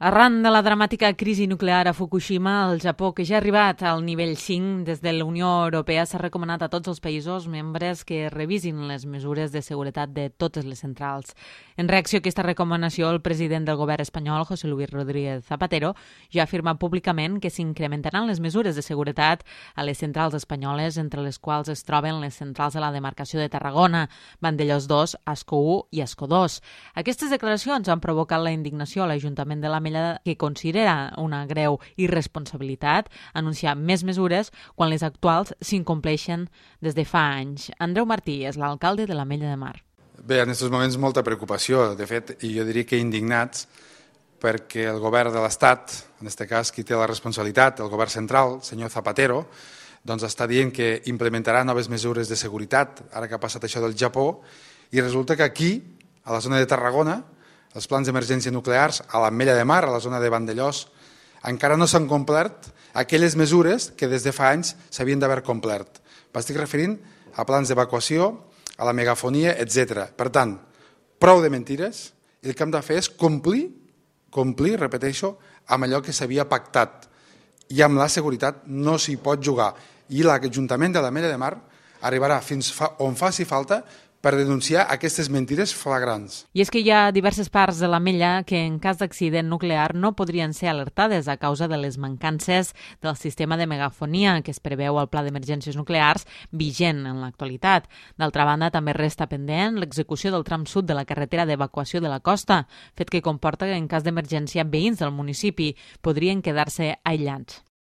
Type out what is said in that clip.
Arran de la dramàtica crisi nuclear a Fukushima, el Japó, que ja ha arribat al nivell 5 des de la Unió Europea, s'ha recomanat a tots els països membres que revisin les mesures de seguretat de totes les centrals. En reacció a aquesta recomanació, el president del govern espanyol, José Luis Rodríguez Zapatero, ja ha afirmat públicament que s'incrementaran les mesures de seguretat a les centrals espanyoles, entre les quals es troben les centrals de la demarcació de Tarragona, Vandellòs 2, Ascó 1 i Ascó 2. Aquestes declaracions han provocat la indignació a l'Ajuntament de la que considera una greu irresponsabilitat anunciar més mesures quan les actuals s'incompleixen des de fa anys. Andreu Martí és l'alcalde de l'Ametlla de Mar. Bé, en aquests moments molta preocupació, de fet, i jo diria que indignats, perquè el govern de l'Estat, en aquest cas qui té la responsabilitat, el govern central, el senyor Zapatero, doncs està dient que implementarà noves mesures de seguretat, ara que ha passat això del Japó, i resulta que aquí, a la zona de Tarragona, els plans d'emergència nuclears a l'Ametlla de Mar, a la zona de Vandellòs, encara no s'han complert aquelles mesures que des de fa anys s'havien d'haver complert. M'estic referint a plans d'evacuació, a la megafonia, etc. Per tant, prou de mentires, i el que hem de fer és complir, repeteixo, amb allò que s'havia pactat. I amb la seguretat no s'hi pot jugar. I l'Ajuntament de l'Ametlla de Mar arribarà fins on faci falta per denunciar aquestes mentires flagrants. I és que hi ha diverses parts de l'Ametlla que en cas d'accident nuclear no podrien ser alertades a causa de les mancances del sistema de megafonia que es preveu al Pla d'Emergències Nuclears vigent en l'actualitat. D'altra banda, també resta pendent l'execució del tram sud de la carretera d'evacuació de la costa, fet que comporta que en cas d'emergència veïns del municipi podrien quedar-se aïllats.